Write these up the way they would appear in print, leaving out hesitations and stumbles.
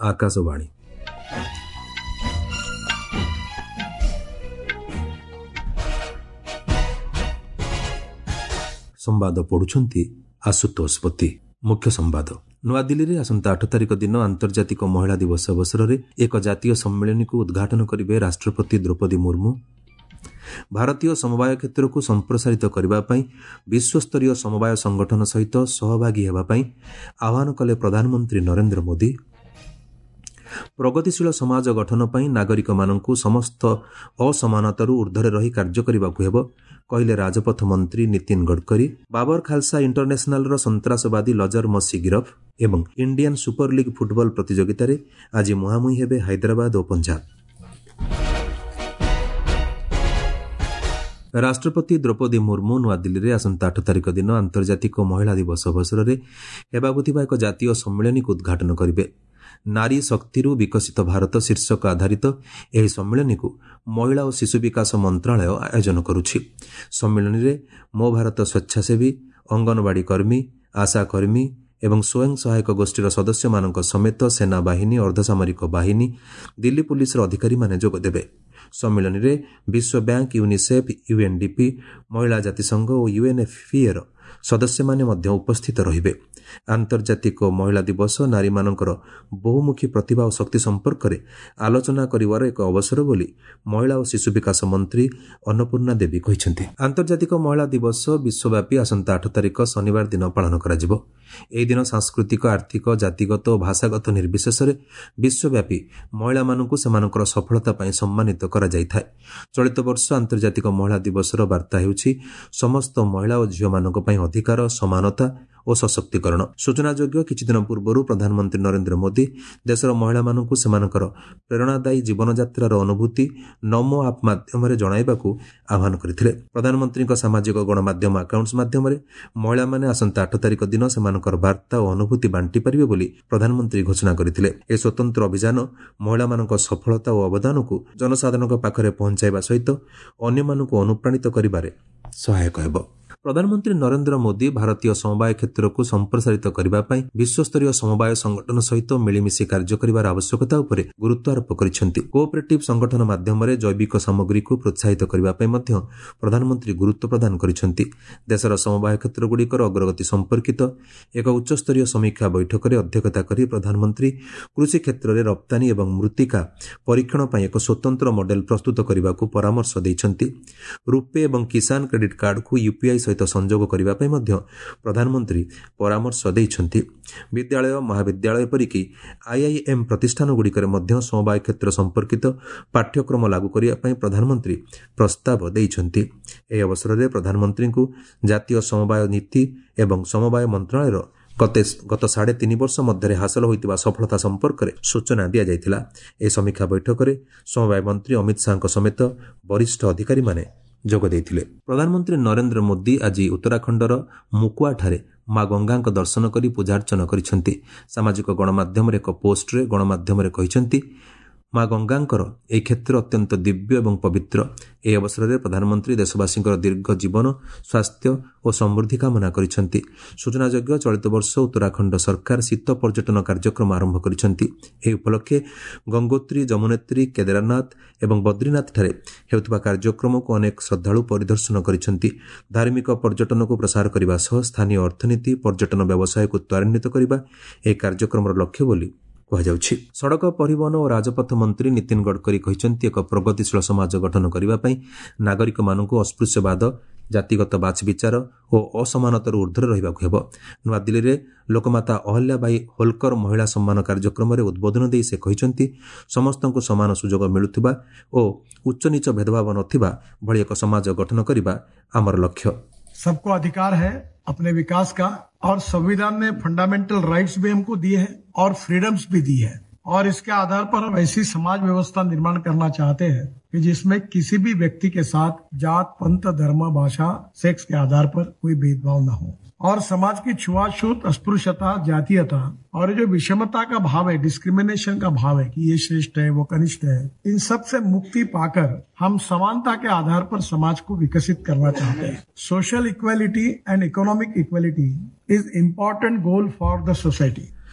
ଆକାଶବାଣୀ। ସମ୍ବାଦ ପଢୁଛନ୍ତି ଆଶୁତୋଷ ପତି। ମୁଖ୍ୟ ସମ୍ବାଦ। ନୂଆଦିଲ୍ଲୀରେ ଆସନ୍ତା 8 ତାରିଖ ଦିନ ଆନ୍ତର୍ଜାତିକ ମହିଳା ଦିବସ ଅବସରରେ ଏକ ଜାତୀୟ ସମ୍ମିଳନୀକୁ ଉଦ୍ଘାଟନ କରିବେ ରାଷ୍ଟ୍ରପତି ଦ୍ରୌପଦୀ ମୁର୍ମୁ। ଭାରତୀୟ ସମବାୟ କ୍ଷେତ୍ରକୁ ସମ୍ପ୍ରସାରିତ କରିବା ପାଇଁ ବିଶ୍ୱସ୍ତରୀୟ ସମବାୟ ସଂଗଠନ ସହିତ ସହଭାଗୀ ହେବା ପାଇଁ ଆହ୍ୱାନ କଲେ ପ୍ରଧାନମନ୍ତ୍ରୀ ନରେନ୍ଦ୍ର ମୋଦି। ପ୍ରଗତିଶୀଳ ସମାଜ ଗଠନ ପାଇଁ ନାଗରିକମାନଙ୍କୁ ସମସ୍ତ ଅସମାନତାରୁ ଊର୍ଦ୍ଧ୍ୱରେ ରହି କାର୍ଯ୍ୟ କରିବାକୁ ହେବ, କହିଲେ ରାଜପଥ ମନ୍ତ୍ରୀ ନୀତିନ ଗଡ଼କରୀ। ବାବର ଖାଲସା ଇଣ୍ଟରନ୍ୟାସନାଲର ସନ୍ତ୍ରାସବାଦୀ ଲଜର ମସି ଗିରଫ। ଏବଂ ଇଣ୍ଡିଆନ୍ ସୁପର ଲିଗ୍ ଫୁଟବଲ ପ୍ରତିଯୋଗିତାରେ ଆଜି ମୁହାଁମୁହିଁ ହେବେ ହାଇଦ୍ରାବାଦ ଓ ପଞ୍ଜାବ। ରାଷ୍ଟ୍ରପତି ଦ୍ରୌପଦୀ ମୁର୍ମୁ ନୂଆଦିଲ୍ଲୀରେ ଆସନ୍ତା 8 ତାରିଖ ଦିନ ଆନ୍ତର୍ଜାତିକ ମହିଳା ଦିବସ ଅବସରରେ ହେବାକୁ ଥିବା ଏକ ଜାତୀୟ ସମ୍ମିଳନୀକୁ ଉଦ୍ଘାଟନ କରିବେ। ନାରୀ ଶକ୍ତିରୁ ବିକଶିତ ଭାରତ ଶୀର୍ଷକ ଆଧାରିତ ଏହି ସମ୍ମିଳନୀକୁ ମହିଳା ଓ ଶିଶୁ ବିକାଶ ମନ୍ତ୍ରଣାଳୟ ଆୟୋଜନ କରୁଛି। ସମ୍ମିଳନୀରେ ମୋ ଭାରତ ସ୍ୱେଚ୍ଛାସେବୀ, ଅଙ୍ଗନବାଡ଼ି କର୍ମୀ, ଆଶାକର୍ମୀ ଏବଂ ସ୍ୱୟଂ ସହାୟକ ଗୋଷ୍ଠୀର ସଦସ୍ୟମାନଙ୍କ ସମେତ ସେନାବାହିନୀ, ଅର୍ଦ୍ଧସାମରିକ ବାହିନୀ, ଦିଲ୍ଲୀ ପୁଲିସର ଅଧିକାରୀମାନେ ଯୋଗଦେବେ। ସମ୍ମିଳନୀରେ ବିଶ୍ୱ ବ୍ୟାଙ୍କ, ୟୁନିସେଫ୍, ୟୁଏନ୍ଡିପି, ମହିଳା ଜାତିସଂଘ ଓ ୟୁଏନ୍ଏଫ୍ପିଏର ସଦସ୍ୟମାନେ ମଧ୍ୟ ଉପସ୍ଥିତ ରହିବେ। ଆନ୍ତର୍ଜାତିକ ମହିଳା ଦିବସ ନାରୀମାନଙ୍କର ବହୁମୁଖୀ ପ୍ରତିଭା ଓ ଶକ୍ତି ସମ୍ପର୍କରେ ଆଲୋଚନା କରିବାର ଏକ ଅବସର ବୋଲି ମହିଳା ଓ ଶିଶୁ ବିକାଶ ମନ୍ତ୍ରୀ ଅନ୍ନପୂର୍ଣ୍ଣା ଦେବୀ କହିଛନ୍ତି। ଆନ୍ତର୍ଜାତିକ ମହିଳା ଦିବସ ବିଶ୍ୱବ୍ୟାପୀ ଆସନ୍ତା 8 ତାରିଖ ଶନିବାର ଦିନ ପାଳନ କରାଯିବ। ଏହି ଦିନ ସାଂସ୍କୃତିକ, ଆର୍ଥିକ, ଜାତିଗତ ଓ ଭାଷାଗତ ନିର୍ବିଶେଷରେ ବିଶ୍ୱବ୍ୟାପୀ ମହିଳାମାନଙ୍କୁ ସେମାନଙ୍କର ସଫଳତା ପାଇଁ ସମ୍ମାନିତ କରାଯାଇଥାଏ। ଚଳିତ ବର୍ଷ ଆନ୍ତର୍ଜାତିକ ମହିଳା ଦିବସର ବାର୍ତ୍ତା ହେଉଛି ସମସ୍ତ ମହିଳା ଓ ଝିଅମାନଙ୍କ ପାଇଁ ଅଧିକାର, ସମାନତା ଓ ସଶକ୍ତିକରଣ। ସୂଚନାଯୋଗ୍ୟ, କିଛିଦିନ ପୂର୍ବରୁ ପ୍ରଧାନମନ୍ତ୍ରୀ ନରେନ୍ଦ୍ର ମୋଦି ଦେଶର ମହିଳାମାନଙ୍କୁ ସେମାନଙ୍କର ପ୍ରେରଣାଦାୟୀ ଜୀବନଯାତ୍ରାର ଅନୁଭୂତି ନମୋ ଆପ୍ ମାଧ୍ୟମରେ ଜଣାଇବାକୁ ଆହ୍ୱାନ କରିଥିଲେ। ପ୍ରଧାନମନ୍ତ୍ରୀଙ୍କ ସାମାଜିକ ଗଣମାଧ୍ୟମ ଆକାଉଣ୍ଟସ୍ ମାଧ୍ୟମରେ ମହିଳାମାନେ ଆସନ୍ତା 8 ତାରିଖ ଦିନ ସେମାନଙ୍କର ବାର୍ତ୍ତା ଓ ଅନୁଭୂତି ବାଣ୍ଟିପାରିବେ ବୋଲି ପ୍ରଧାନମନ୍ତ୍ରୀ ଘୋଷଣା କରିଥିଲେ। ଏହି ସ୍ୱତନ୍ତ୍ର ଅଭିଯାନ ମହିଳାମାନଙ୍କ ସଫଳତା ଓ ଅବଦାନକୁ ଜନସାଧାରଣଙ୍କ ପାଖରେ ପହଞ୍ଚାଇବା ସହିତ ଅନ୍ୟମାନଙ୍କୁ ଅନୁପ୍ରାଣିତ କରିବାରେ ସହାୟକ ହେବ। ପ୍ରଧାନମନ୍ତ୍ରୀ ନରେନ୍ଦ୍ର ମୋଦି ଭାରତୀୟ ସମବାୟ କ୍ଷେତ୍ରକୁ ସମ୍ପ୍ରସାରିତ କରିବା ପାଇଁ ବିଶ୍ୱସ୍ତରୀୟ ସମବାୟ ସଂଗଠନ ସହିତ ମିଳିମିଶି କାର୍ଯ୍ୟ କରିବାର ଆବଶ୍ୟକତା ଉପରେ ଗୁରୁତ୍ୱ ଆରୋପ କରିଛନ୍ତି। କୋଅପରେଟିଭ୍ ସଂଗଠନ ମାଧ୍ୟମରେ ଜୈବିକ ସାମଗ୍ରୀକୁ ପ୍ରୋତ୍ସାହିତ କରିବା ପାଇଁ ମଧ୍ୟ ପ୍ରଧାନମନ୍ତ୍ରୀ ଗୁରୁତ୍ୱ ପ୍ରଦାନ କରିଛନ୍ତି। ଦେଶର ସମବାୟ କ୍ଷେତ୍ରଗୁଡ଼ିକର ଅଗ୍ରଗତି ସମ୍ପର୍କିତ ଏକ ଉଚ୍ଚସ୍ତରୀୟ ସମୀକ୍ଷା ବୈଠକରେ ଅଧ୍ୟକ୍ଷତା କରି ପ୍ରଧାନମନ୍ତ୍ରୀ କୃଷି କ୍ଷେତ୍ରରେ ରପ୍ତାନୀ ଏବଂ ମୃତ୍ତିକା ପରୀକ୍ଷଣ ପାଇଁ ଏକ ସ୍ୱତନ୍ତ୍ର ମଡେଲ ପ୍ରସ୍ତୁତ କରିବାକୁ ପରାମର୍ଶ ଦେଇଛନ୍ତି। ରୁପେ ଏବଂ କିଷାନ କ୍ରେଡିଟ୍ କାର୍ଡକୁ ୟୁପିଆଇ ସହିତ ସଂଯୋଗ କରିବା ପାଇଁ ମଧ୍ୟ ପ୍ରଧାନମନ୍ତ୍ରୀ ପରାମର୍ଶ ଦେଇଛନ୍ତି। ବିଦ୍ୟାଳୟ, ମହାବିଦ୍ୟାଳୟ ଏପରିକି ଆଇଆଇଏମ୍ ପ୍ରତିଷ୍ଠାନଗୁଡ଼ିକରେ ମଧ୍ୟ ସମବାୟ କ୍ଷେତ୍ର ସମ୍ପର୍କିତ ପାଠ୍ୟକ୍ରମ ଲାଗୁ କରିବା ପାଇଁ ପ୍ରଧାନମନ୍ତ୍ରୀ ପ୍ରସ୍ତାବ ଦେଇଛନ୍ତି। ଏହି ଅବସରରେ ପ୍ରଧାନମନ୍ତ୍ରୀଙ୍କୁ ଜାତୀୟ ସମବାୟ ନୀତି ଏବଂ ସମବାୟ ମନ୍ତ୍ରଣାଳୟର ଗତ 3.5 ବର୍ଷ ମଧ୍ୟରେ ହାସଲ ହୋଇଥିବା ସଫଳତା ସମ୍ପର୍କରେ ସୂଚନା ଦିଆଯାଇଥିଲା। ଏହି ସମୀକ୍ଷା ବୈଠକରେ ସମବାୟ ମନ୍ତ୍ରୀ ଅମିତ ଶାହାଙ୍କ ସମେତ ବରିଷ୍ଠ ଅଧିକାରୀମାନେ ଯୋଗ ଦେଇଥିଲେ। ପ୍ରଧାନମନ୍ତ୍ରୀ ନରେନ୍ଦ୍ର ମୋଦି ଆଜି ଉତ୍ତରାଖଣ୍ଡର ମୁକୁଆଠାରେ ମା ଗଙ୍ଗାଙ୍କ ଦର୍ଶନ କରି ପୂଜାର୍ଚ୍ଚନା କରିଛନ୍ତି। ସାମାଜିକ ଗଣମାଧ୍ୟମରେ ଏକ ପୋଷ୍ଟରେ ଗଣମାଧ୍ୟମରେ କହିଛନ୍ତି, ମା ଗଙ୍ଗାଙ୍କର ଏହି କ୍ଷେତ୍ର ଅତ୍ୟନ୍ତ ଦିବ୍ୟ ଏବଂ ପବିତ୍ର। ଏହି ଅବସରରେ ପ୍ରଧାନମନ୍ତ୍ରୀ ଦେଶବାସୀଙ୍କର ଦୀର୍ଘ ଜୀବନ, ସ୍ୱାସ୍ଥ୍ୟ ଓ ସମୃଦ୍ଧି କାମନା କରିଛନ୍ତି। ସୂଚନାଯୋଗ୍ୟ, ଚଳିତ ବର୍ଷ ଉତ୍ତରାଖଣ୍ଡ ସରକାର ଶୀତ ପର୍ଯ୍ୟଟନ କାର୍ଯ୍ୟକ୍ରମ ଆରମ୍ଭ କରିଛନ୍ତି। ଏହି ଉପଲକ୍ଷେ ଗଙ୍ଗୋତ୍ରୀ, ଯମୁନେତ୍ରୀ, କେଦାରନାଥ ଏବଂ ବଦ୍ରୀନାଥଠାରେ ହେଉଥିବା କାର୍ଯ୍ୟକ୍ରମକୁ ଅନେକ ଶ୍ରଦ୍ଧାଳୁ ପରିଦର୍ଶନ କରିଛନ୍ତି। ଧାର୍ମିକ ପର୍ଯ୍ୟଟନକୁ ପ୍ରସାର କରିବା ସହ ସ୍ଥାନୀୟ ଅର୍ଥନୀତି, ପର୍ଯ୍ୟଟନ ବ୍ୟବସାୟକୁ ତ୍ୱରାନ୍ୱିତ କରିବା ଏହି କାର୍ଯ୍ୟକ୍ରମର ଲକ୍ଷ୍ୟ ବୋଲି କୁହାଯାଉଛି। ସଡ଼କ ପରିବହନ ଓ ରାଜପଥ ମନ୍ତ୍ରୀ ନୀତିନ ଗଡ଼କରୀ କହିଛନ୍ତି, ଏକ ପ୍ରଗତିଶୀଳ ସମାଜ ଗଠନ କରିବା ପାଇଁ ନାଗରିକମାନଙ୍କୁ ଅସ୍ପୃଶ୍ୟବାଦ, ଜାତିଗତ ବାଛବିଚାର ଓ ଅସମାନତାରୁ ଊର୍ଦ୍ଧ୍ୱରେ ରହିବାକୁ ହେବ। ନୂଆଦିଲ୍ଲୀରେ ଲୋକମାତା ଅହଲ୍ୟାବାଇ ହୋଲକର ମହିଳା ସମ୍ମାନ କାର୍ଯ୍ୟକ୍ରମରେ ଉଦ୍ବୋଧନ ଦେଇ ସେ କହିଛନ୍ତି, ସମସ୍ତଙ୍କୁ ସମାନ ସୁଯୋଗ ମିଳୁଥିବା ଓ ଉଚ୍ଚନୀଚ ଭେଦଭାବ ନଥିବା ଭଳି ଏକ ସମାଜ ଗଠନ କରିବା ଆମର ଲକ୍ଷ୍ୟ। सबको अधिकार है अपने विकास का, और संविधान ने फंडामेंटल राइट्स भी हमको दिए हैं और फ्रीडम्स भी दी है, और इसके आधार पर हम ऐसी समाज व्यवस्था निर्माण करना चाहते हैं कि जिसमें किसी भी व्यक्ति के साथ जात, पंथ, धर्म, भाषा, सेक्स के आधार पर कोई भेदभाव न हो, और समाज की छुआछूत, अस्पृश्यता, जातीयता और जो विषमता का भाव है, डिस्क्रिमिनेशन का भाव है कि ये श्रेष्ठ है वो कनिष्ठ है, इन सब से मुक्ति पाकर हम समानता के आधार पर समाज को विकसित करना चाहते हैं। Social equality and economic equality is important goal for the society.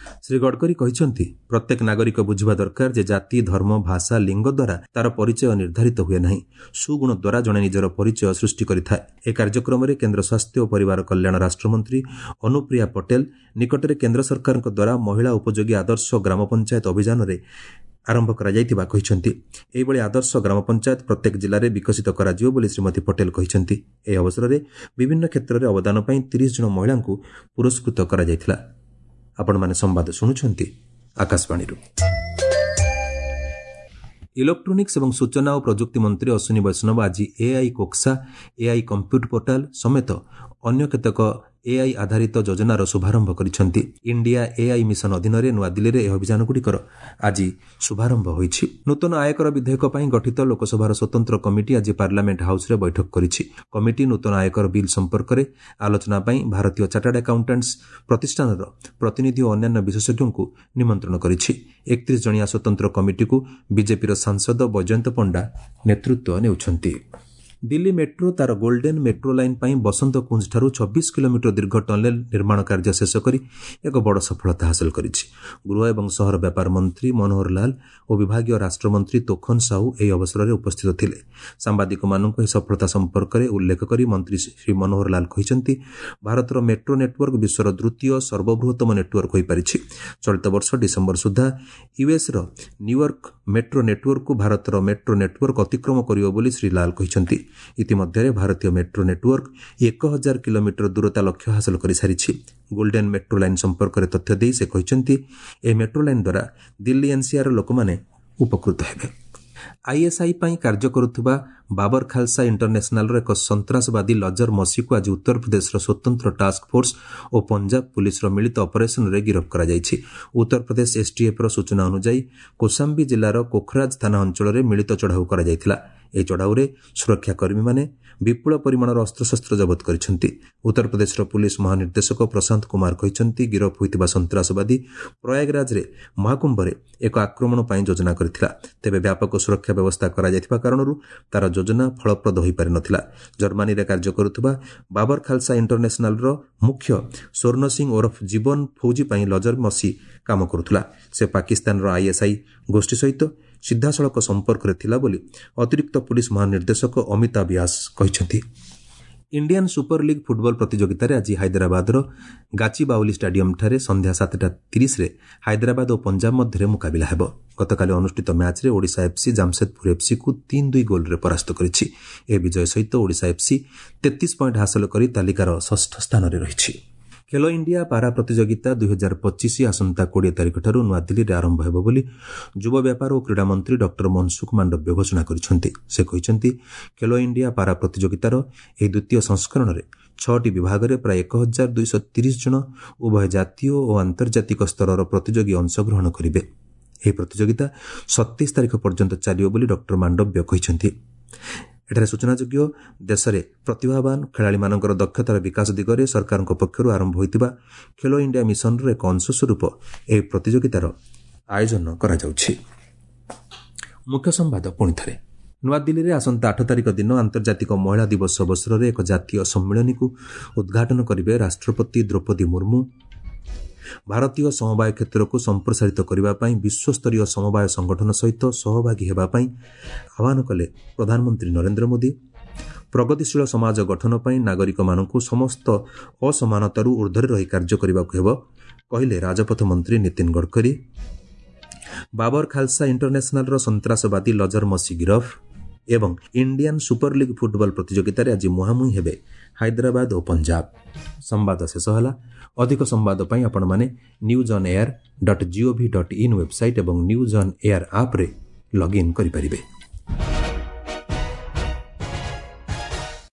Shri Gadkari କହିଛନ୍ତି, ପ୍ରତ୍ୟେକ ନାଗରିକ ବୁଝିବା ଦରକାର ଯେ ଜାତି, ଧର୍ମ, ଭାଷା, ଲିଙ୍ଗ ଦ୍ୱାରା ତାର ପରିଚୟ ନିର୍ଦ୍ଧାରିତ ହୁଏ ନାହିଁ। ସୁଗୁଣ ଦ୍ୱାରା ଜଣେ ନିଜର ପରିଚୟ ସୃଷ୍ଟି କରିଥାଏ। ଏହି କାର୍ଯ୍ୟକ୍ରମରେ କେନ୍ଦ୍ର ସ୍ୱାସ୍ଥ୍ୟ ଓ ପରିବାର କଲ୍ୟାଣ ରାଷ୍ଟ୍ରମନ୍ତ୍ରୀ ଅନୁପ୍ରିୟା ପଟେଲ ନିକଟରେ କେନ୍ଦ୍ର ସରକାରଙ୍କ ଦ୍ୱାରା ମହିଳା ଉପଯୋଗୀ ଆଦର୍ଶ ଗ୍ରାମ ପଞ୍ଚାୟତ ଅଭିଯାନରେ ଆରମ୍ଭ କରାଯାଇଥିବା କହିଛନ୍ତି। ଏହିଭଳି ଆଦର୍ଶ ଗ୍ରାମ ପଞ୍ଚାୟତ ପ୍ରତ୍ୟେକ ଜିଲ୍ଲାରେ ବିକଶିତ କରାଯିବ ବୋଲି ଶ୍ରୀମତୀ ପଟେଲ କହିଛନ୍ତି। ଏହି ଅବସରରେ ବିଭିନ୍ନ କ୍ଷେତ୍ରରେ ଅବଦାନ ପାଇଁ 30 ଜଣ ମହିଳାଙ୍କୁ ପୁରସ୍କୃତ କରାଯାଇଥିଲା। ଆପଣମାନେ ସମ୍ବାଦ ଶୁଣୁଛନ୍ତି ଆକାଶବାଣୀରୁ। ଇଲେକ୍ଟ୍ରୋନିକ୍ସ ଏବଂ ସୂଚନା ଓ ପ୍ରଯୁକ୍ତି ମନ୍ତ୍ରୀ ଅଶ୍ୱିନୀ ବୈଷ୍ଣବ ଆଜି ଏଆଇ କୋକ୍ସା, ଏଆଇ କମ୍ପ୍ୟୁଟ ପୋର୍ଟାଲ ସମେତ ଅନ୍ୟ କେତେକ ଏଆଇ ଆଧାରିତ ଯୋଜନାର ଶୁଭାରମ୍ଭ କରିଛନ୍ତି। ଇଣ୍ଡିଆ ଏଆଇ ମିଶନ ଅଧୀନରେ ନୂଆଦିଲ୍ଲୀରେ ଏହି ଅଭିଯାନଗୁଡ଼ିକର ଆଜି ଶୁଭାରମ୍ଭ ହୋଇଛି। ନୂତନ ଆୟକର ବିଧେୟକ ପାଇଁ ଗଠିତ ଲୋକସଭାର ସ୍ୱତନ୍ତ୍ର କମିଟି ଆଜି ପାର୍ଲାମେଣ୍ଟ ହାଉସ୍ରେ ବୈଠକ କରିଛି। କମିଟି ନୂତନ ଆୟକର ବିଲ୍ ସମ୍ପର୍କରେ ଆଲୋଚନା ପାଇଁ ଭାରତୀୟ ଚାର୍ଟାର୍ଡ ଆକାଉଣ୍ଟାଣ୍ଟସ୍ ପ୍ରତିଷ୍ଠାନର ପ୍ରତିନିଧି ଓ ଅନ୍ୟାନ୍ୟ ବିଶେଷଜ୍ଞଙ୍କୁ ନିମନ୍ତ୍ରଣ କରିଛି। 31 ଜଣିଆ ସ୍ୱତନ୍ତ୍ର କମିଟିକୁ ବିଜେପିର ସାଂସଦ ବୈଜୟନ୍ତ ପଣ୍ଡା ନେତୃତ୍ୱ ନେଉଛନ୍ତି। ଦିଲ୍ଲୀ ମେଟ୍ରୋ ତାର ଗୋଲ୍ଡେନ୍ ମେଟ୍ରୋ ଲାଇନ୍ ପାଇଁ ବସନ୍ତ କୁଞ୍ଜଠାରୁ 26 କିଲୋମିଟର ଦୀର୍ଘ ଟନେଲ୍ ନିର୍ମାଣ କାର୍ଯ୍ୟ ଶେଷ କରି ଏକ ବଡ଼ ସଫଳତା ହାସଲ କରିଛି। ଗୃହ ଏବଂ ସହର ବ୍ୟାପାର ମନ୍ତ୍ରୀ ମନୋହର ଲାଲ ଓ ବିଭାଗୀୟ ରାଷ୍ଟ୍ରମନ୍ତ୍ରୀ ତୋଖନ ସାହୁ ଏହି ଅବସରରେ ଉପସ୍ଥିତ ଥିଲେ। ସାମ୍ବାଦିକମାନଙ୍କୁ ଏହି ସଫଳତା ସମ୍ପର୍କରେ ଉଲ୍ଲେଖ କରି ମନ୍ତ୍ରୀ ଶ୍ରୀ ମନୋହର ଲାଲ କହିଛନ୍ତି, ଭାରତର ମେଟ୍ରୋ ନେଟୱାର୍କ ବିଶ୍ୱର ଦ୍ୱିତୀୟ ସର୍ବବୃହତ୍ତମ ନେଟୱାର୍କ ହୋଇପାରିଛି। ଚଳିତ ବର୍ଷ ଡିସେମ୍ବର ସୁଦ୍ଧା ୟୁଏସ୍ର ନ୍ୟୁୟର୍କ ମେଟ୍ରୋ ନେଟୱାର୍କକୁ ଭାରତର ମେଟ୍ରୋ ନେଟୱାର୍କ ଅତିକ୍ରମ କରିବ ବୋଲି ଶ୍ରୀ ଲାଲ କହିଛନ୍ତି। ଇତିମଧ୍ୟରେ ଭାରତୀୟ ମେଟ୍ରୋ ନେଟୱାର୍କ 1000 କିଲୋମିଟର ଦୂରତା ଲକ୍ଷ୍ୟ ହାସଲ କରିସାରିଛି। ଗୋଲ୍ଡେନ୍ ମେଟ୍ରୋ ଲାଇନ୍ ସମ୍ପର୍କରେ ତଥ୍ୟ ଦେଇ ସେ କହିଛନ୍ତି, ଏହି ମେଟ୍ରୋ ଲାଇନ୍ ଦ୍ୱାରା ଦିଲ୍ଲୀ ଏନ୍ସିଆର୍ର ଲୋକମାନେ ଉପକୃତ ହେବେ। ଆଇଏସ୍ଆଇ ପାଇଁ କାର୍ଯ୍ୟ କରୁଥିବା ବାବର ଖାଲସା ଇଣ୍ଟରନ୍ୟାସନାଲର ଏକ ସନ୍ତାସବାଦୀ ଲଜର ମସିକୁ ଆଜି ଉତ୍ତରପ୍ରଦେଶର ସ୍ୱତନ୍ତ୍ର ଟାସ୍କ ଫୋର୍ସ ଓ ପଞ୍ଜାବ ପୁଲିସର ମିଳିତ ଅପରେସନରେ ଗିରଫ କରାଯାଇଛି। ଉତ୍ତରପ୍ରଦେଶ ଏସ୍ଟିଏଫ୍ର ସୂଚନା ଅନୁଯାୟୀ କୋଶାମ୍ବୀ ଜିଲ୍ଲାର କୋଖରାଜ ଥାନା ଅଞ୍ଚଳରେ ମିଳିତ ଚଢ଼ାଉ କରାଯାଇଥିଲା। ଏହି ଚଢ଼ାଉରେ ସୁରକ୍ଷାକର୍ମୀମାନେ ବିପୁଳ ପରିମାଣର ଅସ୍ତ୍ରଶସ୍ତ୍ର ଜବତ କରିଛନ୍ତି। ଉତ୍ତରପ୍ରଦେଶର ପୁଲିସ ମହାନିର୍ଦ୍ଦେଶକ ପ୍ରଶାନ୍ତ କୁମାର କହିଛନ୍ତି, ଗିରଫ ହୋଇଥିବା ସନ୍ତାସବାଦୀ ପ୍ରୟାଗରାଜରେ ମହାକୁମ୍ଭରେ ଏକ ଆକ୍ରମଣ ପାଇଁ ଯୋଜନା କରିଥିଲା। ତେବେ ବ୍ୟାପକ ସୁରକ୍ଷା ବ୍ୟବସ୍ଥା କରାଯାଇଥିବା କାରଣରୁ ତାର ଯୋଜନା ଫଳପ୍ରଦ ହୋଇପାରିନଥିଲା। ଜର୍ମାନୀରେ କାର୍ଯ୍ୟ କରୁଥିବା ବାବର ଖାଲସା ଇଣ୍ଟରନ୍ୟାସନାଲର ମୁଖ୍ୟ ସ୍ୱର୍ଣ୍ଣ ସିଂ ଓରଫ ଜୀବନ ଫୌଜି ପାଇଁ ଲଜର ମସି କାମ କରୁଥିଲା। ସେ ପାକିସ୍ତାନର ଆଇଏସ୍ଆଇ ଗୋଷ୍ଠୀ ସହିତ ସିଧାସଳଖ ସମ୍ପର୍କରେ ଥିଲା ବୋଲି ଅତିରିକ୍ତ ପୁଲିସ ମହାନିର୍ଦ୍ଦେଶକ ଅମିତାଭ ବ୍ୟାସ କହିଛନ୍ତି। ଇଣ୍ଡିଆନ୍ ସୁପର ଲିଗ୍ ଫୁଟବଲ ପ୍ରତିଯୋଗିତାରେ ଆଜି ହାଇଦ୍ରାବାଦର ଗାଚିବାଉଲି ଷ୍ଟାଡିୟମ୍ଠାରେ ସନ୍ଧ୍ୟା 7:30ରେ ହାଇଦ୍ରାବାଦ ଓ ପଞ୍ଜାବ ମଧ୍ୟରେ ମୁକାବିଲା ହେବ। ଗତକାଲି ଅନୁଷ୍ଠିତ ମ୍ୟାଚ୍ରେ ଓଡ଼ିଶା ଏଫ୍ସି ଜାମସେଦପୁର ଏଫ୍ସିକୁ 3-2 ଗୋଲ୍ରେ ପରାସ୍ତ କରିଛି। ଏହି ବିଜୟ ସହିତ ଓଡ଼ିଶା ଏଫ୍ସି 33 ପଏଣ୍ଟ ହାସଲ କରି ତାଲିକାର ଷଷ୍ଠ ସ୍ଥାନରେ ରହିଛି। ଖେଲୋ ଇଣ୍ଡିଆ ପାରା ପ୍ରତିଯୋଗିତା 2025 ଆସନ୍ତା 20 ତାରିଖଠାରୁ ନୂଆଦିଲ୍ଲୀରେ ଆରମ୍ଭ ହେବ ବୋଲି ଯୁବ ବ୍ୟାପାର ଓ କ୍ରୀଡ଼ା ମନ୍ତ୍ରୀ ଡକ୍ଟର ମନସୁଖ ମାଣ୍ଡବ୍ୟ ଘୋଷଣା କରିଛନ୍ତି। ସେ କହିଛନ୍ତି, ଖେଲୋ ଇଣ୍ଡିଆ ପାରା ପ୍ରତିଯୋଗିତାର ଏହି ଦ୍ୱିତୀୟ ସଂସ୍କରଣରେ 6ଟି ବିଭାଗରେ ପ୍ରାୟ 1230 ଜଣ ଉଭୟ ଜାତୀୟ ଓ ଆନ୍ତର୍ଜାତିକ ସ୍ତରର ପ୍ରତିଯୋଗୀ ଅଂଶଗ୍ରହଣ କରିବେ। ଏହି ପ୍ରତିଯୋଗିତା 27 ତାରିଖ ପର୍ଯ୍ୟନ୍ତ ଚାଲିବ ବୋଲି ଡକ୍ଟର ମାଣ୍ଡବ୍ୟ କହିଛନ୍ତି। ଏଠାରେ ସୂଚନାଯୋଗ୍ୟ, ଦେଶରେ ପ୍ରତିଭାବାନ ଖେଳାଳିମାନଙ୍କର ଦକ୍ଷତାର ବିକାଶ ଦିଗରେ ସରକାରଙ୍କ ପକ୍ଷରୁ ଆରମ୍ଭ ହୋଇଥିବା ଖେଲୋ ଇଣ୍ଡିଆ ମିଶନର ଏକ ଅଂଶସ୍ୱରୂପ ଏହି ପ୍ରତିଯୋଗିତାର ଆୟୋଜନ କରାଯାଉଛି। ମୁଖ୍ୟ ସମ୍ବାଦ ପୁଣିଥରେ। ନୂଆଦିଲ୍ଲୀରେ ଆସନ୍ତା 8 ତାରିଖ ଦିନ ଆନ୍ତର୍ଜାତିକ ମହିଳା ଦିବସ ଅବସରରେ ଏକ ଜାତୀୟ ସମ୍ମିଳନୀକୁ ଉଦ୍ଘାଟନ କରିବେ ରାଷ୍ଟ୍ରପତି ଦ୍ରୌପଦୀ ମୁର୍ମୁ। ଭାରତୀୟ ସମବାୟ କ୍ଷେତ୍ରକୁ ସମ୍ପ୍ରସାରିତ କରିବା ପାଇଁ ବିଶ୍ୱସ୍ତରୀୟ ସମବାୟ ସଂଗଠନ ସହିତ ସହଭାଗୀ ହେବା ପାଇଁ ଆହ୍ୱାନ କଲେ ପ୍ରଧାନମନ୍ତ୍ରୀ ନରେନ୍ଦ୍ର ମୋଦି। ପ୍ରଗତିଶୀଳ ସମାଜ ଗଠନ ପାଇଁ ନାଗରିକମାନଙ୍କୁ ସମସ୍ତ ଅସମାନତାରୁ ଉର୍ଦ୍ଧ୍ୱରେ ରହି କାର୍ଯ୍ୟ କରିବାକୁ ହେବ, କହିଲେ ରାଜପଥ ମନ୍ତ୍ରୀ ନୀତିନ ଗଡ଼କରୀ। ବାବର ଖାଲସା ଇଣ୍ଟରନ୍ୟାସନାଲର ସନ୍ତାସବାଦୀ ଲଜର ମସି ଗିରଫ। ଏବଂ ଇଣ୍ଡିଆନ୍ ସୁପର ଲିଗ୍ ଫୁଟବଲ ପ୍ରତିଯୋଗିତାରେ ଆଜି ମୁହାଁମୁହିଁ ହେବେ ହାଇଦ୍ରାବାଦ ଓ ପଞ୍ଜାବ। ସମ୍ବାଦ ଶେଷ ହେଲା। ଅଧିକ ସମ୍ବାଦ ପାଇଁ ଆପଣମାନେ newsonair.gov.in website ଏବଂ ନ୍ୟୁଜ୍ ଅନ୍ ଏୟାର ଆପ୍ରେ ଲଗ୍ଇନ୍ କରିପାରିବେ।